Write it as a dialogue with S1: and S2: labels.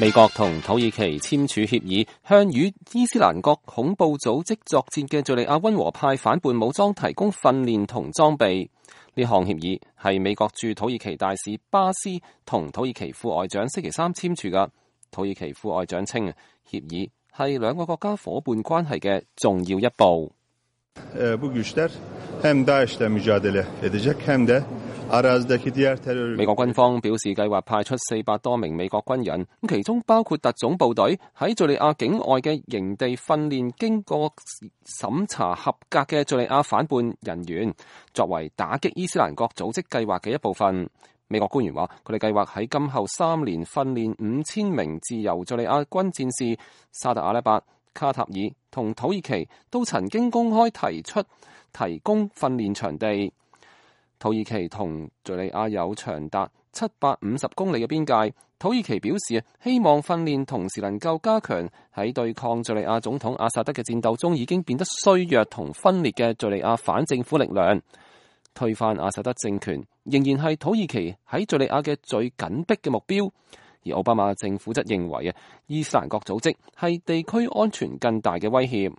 S1: 美國同土耳其簽署協議，向與伊斯蘭國恐怖組織作戰嘅敘利亞溫和派反叛武裝提供訓練同裝備。呢項協議係美國駐土耳其大使巴斯同土耳其副外長星期三簽署㗎。土耳其副外長稱，協議係兩個國家伙伴關係嘅重要一步。美國軍方表示，計劃派出400多名美國軍人，其中包括特種部隊喺敘利亞境外嘅營地訓練經過審查合格嘅敘利亞反叛人員，作為打擊伊斯蘭國組織計劃嘅一部分。美國官員話，佢哋計劃喺今後3年訓練5000名自由敘利亞軍戰士。沙特阿拉伯、卡塔爾同土耳其都曾經公開提出提供訓練場地。土耳其同敘利亞有長達750公里嘅邊界。土耳其表示，希望訓練同時能夠加強喺對抗敘利亞總統阿薩德嘅戰鬥中已經變得衰弱同分裂嘅敘利亞反政府力量。推翻阿薩德政權仍然係土耳其喺敘利亞嘅最緊迫嘅目標。而奧巴馬政府則認為伊斯蘭國組織係地區安全更大嘅威脅。